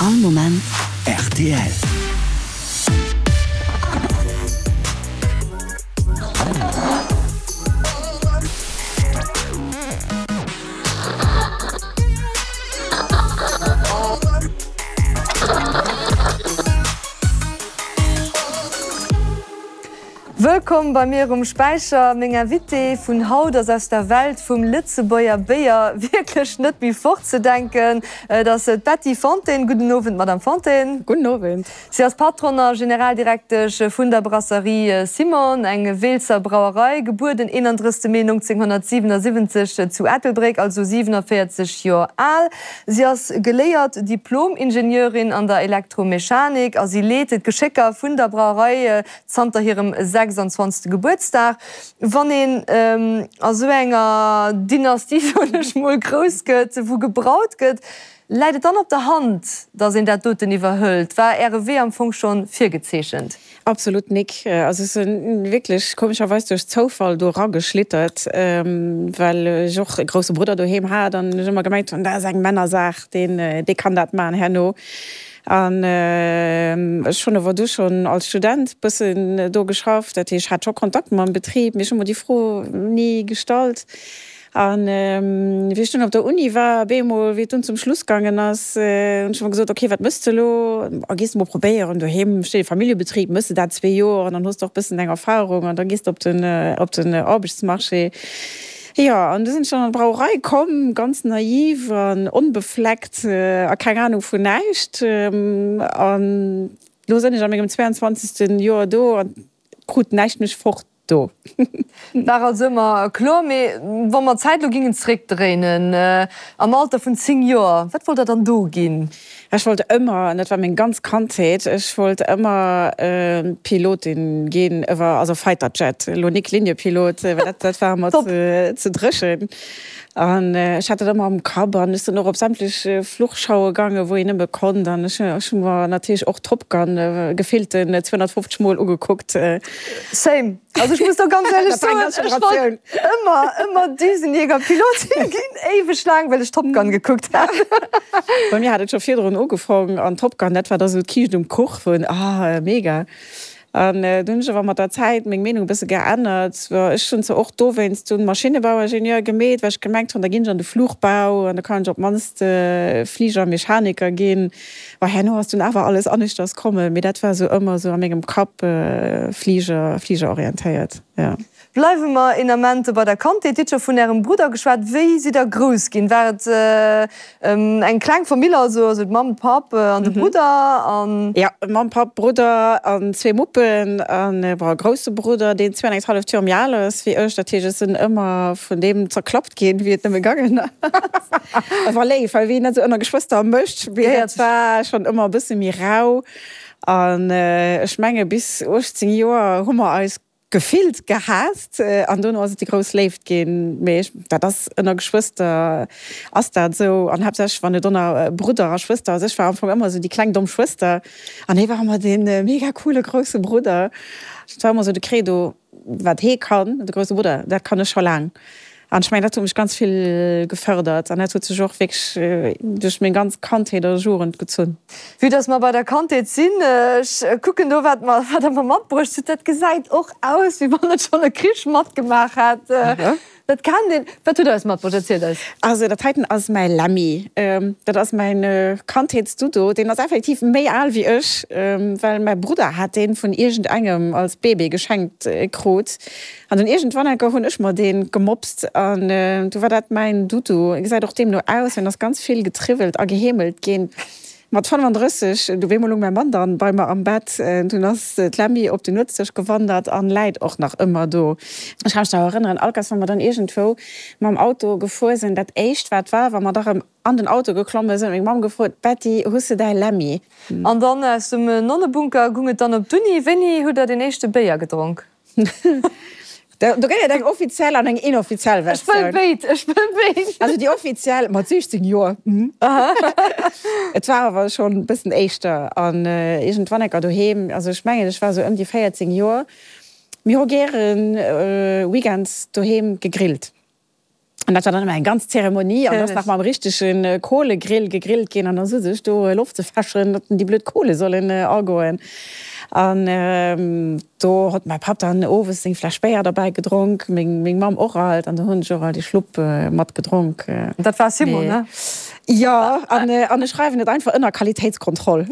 All Moment rtl. Wëllkomm bei mir um Späicher. Meng Invitée vun haut ass aus der Welt vum Lëtzebuerger Béier wierklech net méi fortzedenken. Et ass d'Betty Fontaine. Gudden Owend, Madame Fontaine. Gudden Owend. Si ass Patronne a Generaldirektesch vun der Brasserie Simon, eng Weelzer Brauerei, gebuer den 31 Mee 1977 zu Ettelbréck, also 47 Joer al. Si ass geléiert Diplom-Ingenieurin an der Elektromechanik a si leet d'Geschécker vun der Brauerei zanter hirem 26. Gebuertsdag. Wann een a sou enger Dynastie, soen ech mol, grouss gëtt, wou gebraut gëtt, läit et dann op der Hand, datt een dat doten iwwerhëlt? War Äre Wee am Fong scho virgezeechent? Absolut nik. Also ech sinn wierklech komescherweis duerch Zoufall do erageschlittert, well ech och e grousse Brudder doheem hat an ech ëmmer gemengt hunn, dat ass eng Männersaach, deen, dee kann dat maachen herno. An ech hunn awer du schonn als Student bëssen do geschafft, dat heescht, ech hat scho Kontakt mam Betrib, mee ech hu mer déi Fro ni gestallt. An wéi ech dunn op der Uni war, bemol, wéi et dunn zum Schluss gaangen ass, hunn ech mer gesot, ok, wat méchs de elo? A gees de mol probéieren, doheem steet e Familljebetrib, méchs de dat zwee Joer an dann hues de och bëssen eng Erfahrung an da gees de op den, op den Aarbechtsmarché. Jo, an du sinn ech dann an d'Brauerei komm, ganz naiv an onbefleckt a keng Anung vun näischt. An lo sënn ech a mengem 22. Joer do an krut näischt mech fort do. War also ëmmer kloer. Mee wa mer d'Zäit lo gingen zréckdréinen, am Alter vun 10 Joer, wat wollt der dann do ginn? Ech wollt ëmmer, an dat war meng ganz Kandheet, ech wollt ëmmer Pilotin ginn, also Fighter Jet, elo nik Liniepilot, well dat, dat war mer ze dréchen. An ech hat dat ëmmer am Kapp an ech sinn och op sämtlech Fluchschaue gaangen, wou een nëmme konnt. An ech hu mer natierlech och Top Gun gefillten 250 Mol ugekuckt. Same. Also ech muss do ganz ehrlech soen, ech wollt ëmmer, ëmmer Düsenjägerpilotin ginn, éiweg laang, well ech Top Gun gekuckt hat. Bei mir hat et scho virdrun ugefong an Top Gun, dat war da sou d'Kiischt um Kuch vun, ah mega. An dunn hunn ech awer mat der Zäit meng Meenung e bësse geännert. Ech hunn zwar och dowéinst dunn Maschinebauingenieur gemeet, well ech gemengt hunn, da ginn ech an de Fluchbau an da kann ech op d'mannst Fligermechaniker ginn. Bon, herno ass dunn awer alles aneschters kommen, mee dat war esou ëmmer esou a mengem Kapp Fliger, Fligerorientéiert, jo. Bleiwe mer een Ament bei der Kandheet. Dir hutt scho vun Ärem Brudder geschwat. Wéi sidd Der grouss ginn? War et eng kleng Famill, also also d'Mamm, d'Papp an de Brudder an? Jo, Mamm, Papp, Brudder an zwee Muppen an, bon, e grousse Brudder, deen zwee-an-eng-halleft Joer méi al ass wéi ech. Dat heescht, ech sinn ëmmer vun deem zerklappt ginn, wéi et nëmme gaangen ass. Et war léif, well wéi een dat esou ënner Geschwëster mécht, mee dat war schonn ëmmer e bësse méi rau. An ech menge bis 18 Joer hu mer eis gefillt gehaasst an dono ass et déi grouss Léift ginn. Mee ech, dat ass ënner Geschwëster ass dat esou an haaptsächlech wann et ënner Brudder a Schwëster ass. Ech war am Fong ëmmer esou déi kleng domm Schwëster an hie war ëmmer dee mega coole grousse Brudder. Dat war ëmmer esou de Credo. Wat hee kann, de grousse Brudder, dat kann ech scho laang. An ech mengen, dat huet mech ganz vill gefërdert an dat huet sech och wierklech duerch meng ganz Kandheet a Jugend gezunn. Vue dass mer bei der Kandheet sinn, ech kucken do, wat mer, wat Der mer matbruecht hutt, dat gesäit och aus, wéi wann et schonn e Krich matgemaach hätt. Dat kennt een. Wat hutt Der eis matbruecht? Erzielt eis. Also dat heiten ass mäi Lemmy. Dat ass mäin Kandheetsdudo. Deen ass effektiv méi al wéi ech, well mäi Brudder hat deen vun iergendengem als Bébé geschenkt krut. An dunn iergendwann enker hunn ech mer deen gemopst an du war dat mäin Dudu. E gesäit och deemno aus, en ass ganz vill getriwwelt a geheemelt ginn. Mat 35, du wéi mol lung mäi Mann dann bei mer am Bett, dunn ass d'Lemmy op den Nuetsdësch gewandert an läit och nach ëmmer do. Ech ka mech nach erënneren, all Kéiers wa mer dann iergendwou mam Auto gefuer sinn, dat éischt wat war, wa mer da rëm an den Auto geklomme sinn, huet meng Mamm gefrot, Betty, hues de däi Lemmy? An dann aus dem Nonnebunker gung et dann op d'Uni. Wéini hutt der deen éischte Béier gedronk? Do gëtt et eng offiziell an eng inoffiziell Versioun. Ech wëll béid, ech wëll béid. Also déi offiziell mat 16 Joer. Et war awer schonn e bëssen éischter an iergendwann enker doheem, also ech mengen ech war esou ëm déi 14 Joer, mir hu gären weekends doheem gegrillt. An dat war dann ëmmer eng ganz Zeremonie an ass nach mam richtege Kohlegrill gegrillt ginn an da sot ech do Loft ze fäschen, datt déi blöd Kohle sollen agoen. An do hott mäi Papp dann owes seng Fläsch Béier derbäi gedronk, meng meng Mamm och alt an do hunn ech och alt ee Schlupp mat gedronk. Dat war Simon, ne? Jo, an an ech schreiwen et einfach ënner Qualitéitskontroll.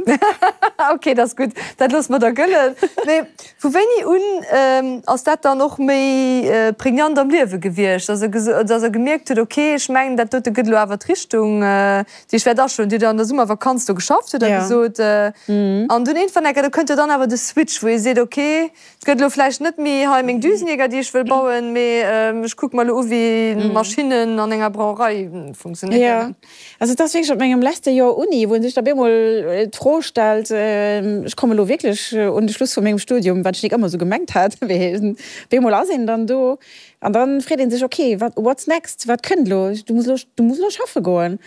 Ok, dat ass gutt, dat loosse mer da gëllen. Mee Vu wéini un ass dat dann och méi pregnant am Liewe gewiescht, dass Der gemierkt hutt, ok, ech mengen, dat dote gëtt elo awer d'Richtung, déi ech wäert aschloen? Dir hutt jo an der Summervakanz do geschafft, hutt Der gesot. An dunn iergendwann enker, do kënnt jo dann awer de Switch, wou ee seet, ok, et gëtt elo vläicht net méi hei meng Düsenjäger, déi ech wëll bauen, mee ech kucke mer elo u wéi Maschinnen an enger Brauerei funktionéieren. Also et ass wierklech op mengem leschte Joer Uni, wou ee sech da bemol d'Fro stellt, ech komme lo wierklech un de Schluss vu mengem Studium, wat ech nik ëmmer esou gemengt hat, mee bemol ass een dann do an da freet ee sech, ok, wat, what's next, wat kënnt elo, du muss elo, du muss elo schaffe goen.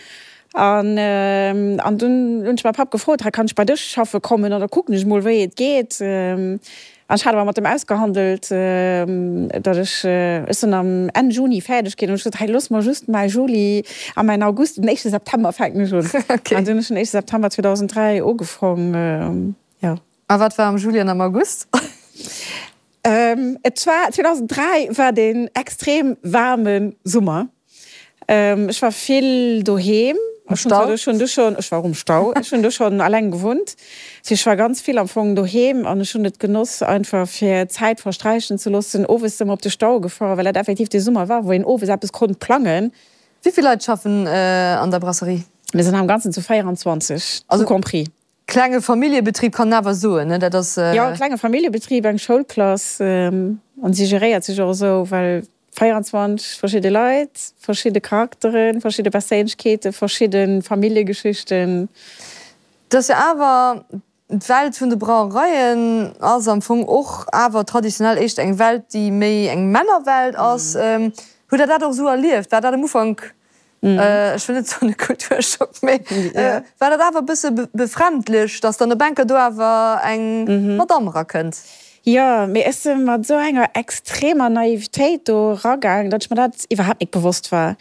An an dunn hunn ech mäi Papp gefrot, hei kann ech bei dech schaffe kommen an da kucken ech mol wéi et geet. An ech hat awer mat em ausgehandelt, datt ech, ech sinn am Enn Juni fäerdeg ginn, an ech gesot, hei looss mer just mäi Juli a mäin August, den éischte September fänken ech un. An dunn hunn ech den éischte September 2003 ugefong, jo. A wat war am Juli an am August? Et war, 2003 war deen extrem waarme Summer. Ech war vill doheem. Am Stau? Ech hunn du schonn, ech war och um Stau. Ech hunn du schonn alleng gewunnt. Dat heescht, ech war ganz vill am Fong doheem an ech hunn et genoss einfach fir Zäit versträichen ze loossen. Owes si mer op de Stau gefuer, well dat effektiv de Summer war, wou een owes eppes konnt plangen. Wéi vill Leit schaffen an der Brasserie? Mir sinn am Ganzen zu 24, tout compris. Klenge Familljebetrib kann en awer soen, ne? Dat ass. Jo, e klenge Familljebetrib, eng Schoulklass. An si geréiert sech och esou, well 24 verschidde Leit, verschidde Charakteren, verschidde Perséinlechkeeten, verschidde Familljegeschichten. Et ass jo awer, d'Welt vun de Brauereien ass am Fong och awer traditionell éischter eng Welt, déi méi eng Männerwelt ass. Hutt Der dat och esou erlieft? War dat am Ufank Ech wëll net soen e Kulturschock, mee war dat awer e bësse befremdlech, datt dann op enker do awer eng Madamm erakënnt? Jo, mee ech si mat esou enger extremer Naivetéit do eragaang, datt ech mer dat iwwerhaapt nik bewosst war.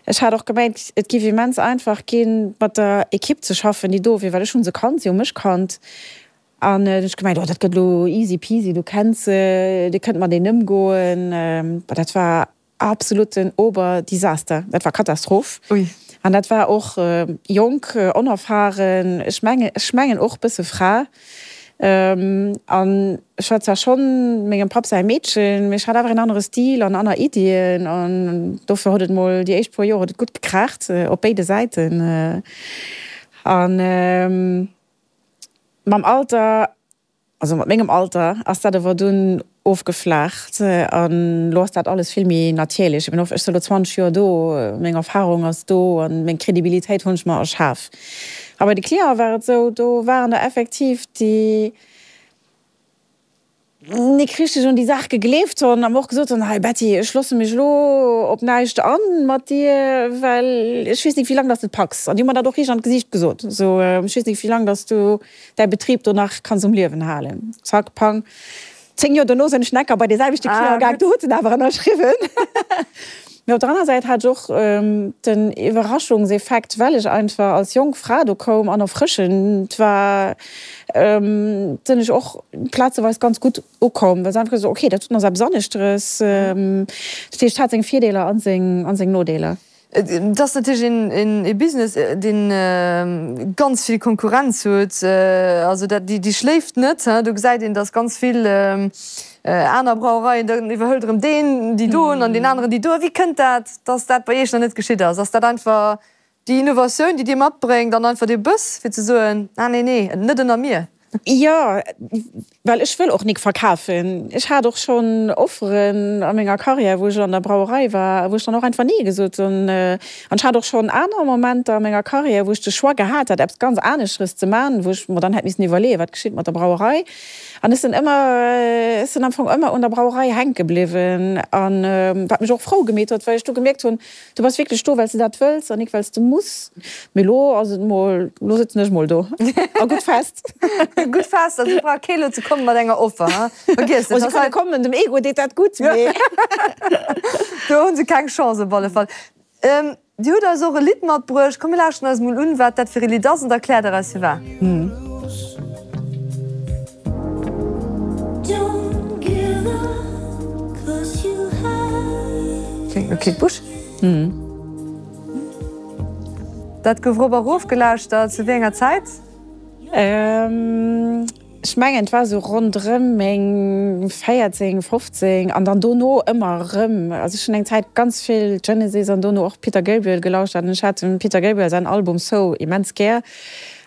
Ech hat och gemengt, et giff immens einfach ginn, mat der Ekipp ze schaffen, déi do wier, well ech hu se kannt, si hu mech kannt. An hunn ech gemengt, oh dat gëtt elo easy peasy, du kenns se, dir kënnt mateneen ëmgoen. Bah, dat war Absoluten Oberdesaster, dat war Katastroph. Ui. An dat war och jonk, onerfahren, ech mengen, ech mengen och bësse Fra. An ech war zwar schonn mengem Papp säi Meedchen, mee ech hat awer en anere Stil an aner Iddien. An dofir huet et mol déi éischt puer Joer huet et gutt gekraacht op béide Säiten. An mam Alter Also mat mengem Alter ass dat awer dunn ofgeflaacht an elo ass dat alles vill méi natierlech. Ech sinn elo 20 Joer do, meng Erfarung ass do an meng Kredibilitéit hunn ech mer erschaf. A bei de Cliente war et esou, do waren der effektiv, déi nik richteg un déi Saach gegleeft hunn a mer och gesot hunn, Hei Betty, ech loosse mech elo op näischt an mat dir, well ech weess nik wéi laang dass de et packs. An déi hu mer dat och riicht an d'Gesiicht gesot, esou, ech weess nik wéi laang dass du däi Betrib do nach kanns um Liewen halen. Zack, pang, 10 Joer dono sinn ech necker bei dee selwechte Client gaang, do huet en awer ënnerschriwwen. Mee op der aner Säit hat ech och den Iwwerraschungseffekt, well ech einfach als jonk Fra do koum an erfrëschend war, sinn ech och plazeweis ganz gutt ukomm, well se einfach gesot hunn, okay, dat doten ass eppes aneschteres. Dat heescht, et hat seng Virdeeler a seng Nodeeler. Et ass natierlech ee Business, dee ganz vill Konkurrenz huet. Also dat, déi schléift net. Do gesäit een, datt ganz vill aner Brauereien, dann iwwerhëlt erëm deen déi doen an deen aneren déi doen. Wéi kënnt dat, datt dat bei Iech nach net geschitt ass? Ass dat einfach déi Innovatioun, déi Dir matbréngt an einfach dee Bëss, fir ze soen, Ah nee, nee, net ënner mir? Jo, well ech wëll och nik verkafen. Ech hat och schonn Offeren a menger Karriär, wou ech an der Brauerei war, wou ech dann och einfach Nee gesot hunn. An ech hat och schonn aner Momenter a menger Karriär, wou ech de Choix gehat hat, eppes ganz aneschteres ze man, wou ech mer dann hätt missen iwwerleeën, wat geschitt mat der Brauerei. An ech sinn ëmmer, ech sinn am Fong ëmmer un der Brauerei hänke bliwwen. An wat mech och frou gemeet huet, well ech du gemierkt hunn, Du bass wierklech do, well s de dat wëlls an nik well s de muss. Mee lo ass et mol, lo sëtzen ech mol do a gutt fest. Gutt fest, also et brauch kee lo ze komme mat enger Offer, ha? Vergiess et. Oh, se kënne kommen, dem Ego deet dat gutt, mee. Do hu se keng Chance op alle Fall. Dir hutt eis och e Lidd matbruecht. Komm mir lauschteren eis mol un, wat dat fir e Lidd ass an da kläert der eis firwat. Kléngt no Kate Bush. Dat gouf rop a rof gelauschtert. Zu wéi enger Zäit? Ech mengen et war esou ronderëm meng 14, 15 an dann dono ëmmer erëm. Also ech hunn eng Zäit ganz vill Genesis an dono och Peter Gabriel gelauschtert an ech hat dem Peter Gabriel säin Album So immens gär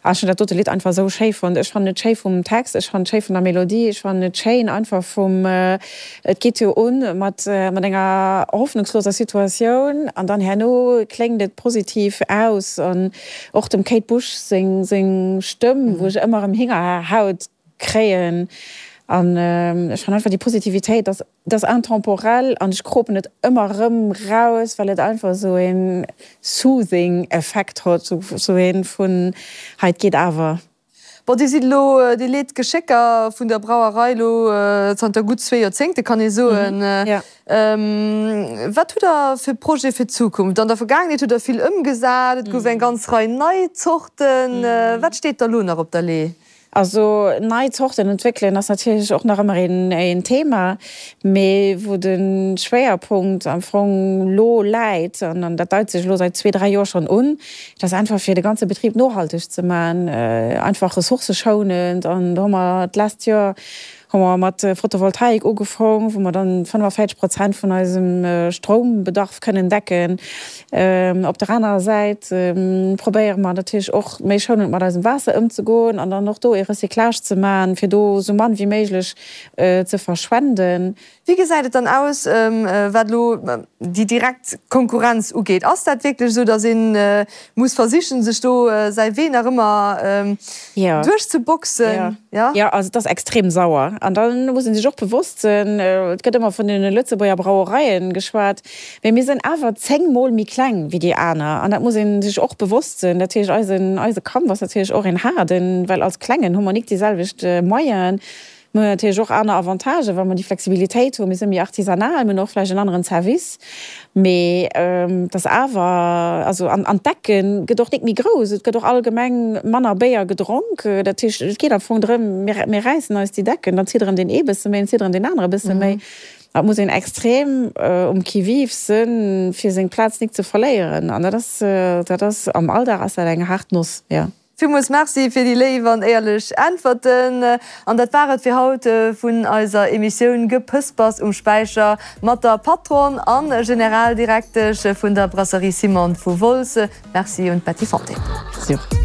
an ech hunn dat dote Lidd einfach esou schéi fonnt. Ech fannen et schéi vum Text, ech fannen et schéi vun der Melodie, ech fannen et schéin einfach vum, et geet jo un mat mat enger hoffnungsloser Situatioun an dann herno kléngt et positiv aus an Och dem Kate Bush seng Stëmm, wou ech ëmmer erëm Hingerhaut kréien. An ech fannen einfach déi Positivitéit, dat ass intemporel an ech kropen et ëmmer erëm raus, well et einfach esou een soothing Effekt hott, esou een vun hei et geet awer. Bon, Dir sidd elo déi leet Geschécker vun der Brauerei elo zanter gutt zwee Joerzéngte, kann ee soen. Wat hutt Der fir Projete fir d'Zukunft? An der Vergaangenheet hutt Der vill ëmgesat, et gouf eng ganz Rei nei Zorten. Wat steet da elo nach op der Lee? Also nei Zorten entwéckelen ass natierlech och nach ëmmer een Thema, mee wou de Schwéierpunkt am Fong lo läit, an dat deit sech elo säit zwee, dräi Joer schonn un, Et ass einfach fir de ganze Betrib nohalteg ze man, einfach ressourcëschounend an do hu mer d'lescht Joer hu mer mat Photovoltaik ugefong, wou mer dann 45 Prozent vun eisem Stroumbedarf kënnen decken. Op der anerer Säit probéiere mer natierlech och méi schounend mat eisem Waasser ëmzegoen an dann och do ee Recyclage ze man, fir do esou mann wéi méiglech ze verschwenden. Wéi gesäit et dann aus, wat elo déi direkt Konkurrenz ugeet? Ass dat wierklech esou, datt ee muss versichen, sech do säi Wee nach ëmmer duerchzeboxen? Jo, jo, also et ass extrem sauer. An da muss ee sech och bewosst sinn, et gëtt ëmmer vun deene Lëtzebuerger Brauereien geschwat, mee mir sinn awer 10 Mol méi kleng wéi déi aner. An dat muss ee sech och bewosst sinn. Dat heescht, eisen, eise Kampf ass natierlech och een haarden, well als Klengen hu mer nik déi selwecht Moyenen. Mir hunn natierlech och aner Avantagen, well mer déi Flexibilitéit hunn. Mir si méi artisanal, mir hunn och vläicht en aneren Service. Mee et ass awer, also an d'Decke gëtt och nik méi grouss, et gëtt och allgemeng manner Béier gedronk. Dat heescht, et geet am Fong drëm, mir räissen eis déi Decken, dann zitt erëm deen ee bësse méi, dann zitt erëm deen anere bësse méi. Et muss een extrem um Qui-vive sinn, fir seng Plaz nik ze verléieren. An dat ass, dat ass am Alldag ass dat eng haart Noss, jo. Villmools Merci fir déi léif an éierlech Äntwerten. An dat war et fir haut vun eiser Emissioun Gepëspers um Späicher mat der Patronne an Generaldirektesch vun der Brasserie Simon vu Wolz. Merci un d'Betty Fontaine. Merci och.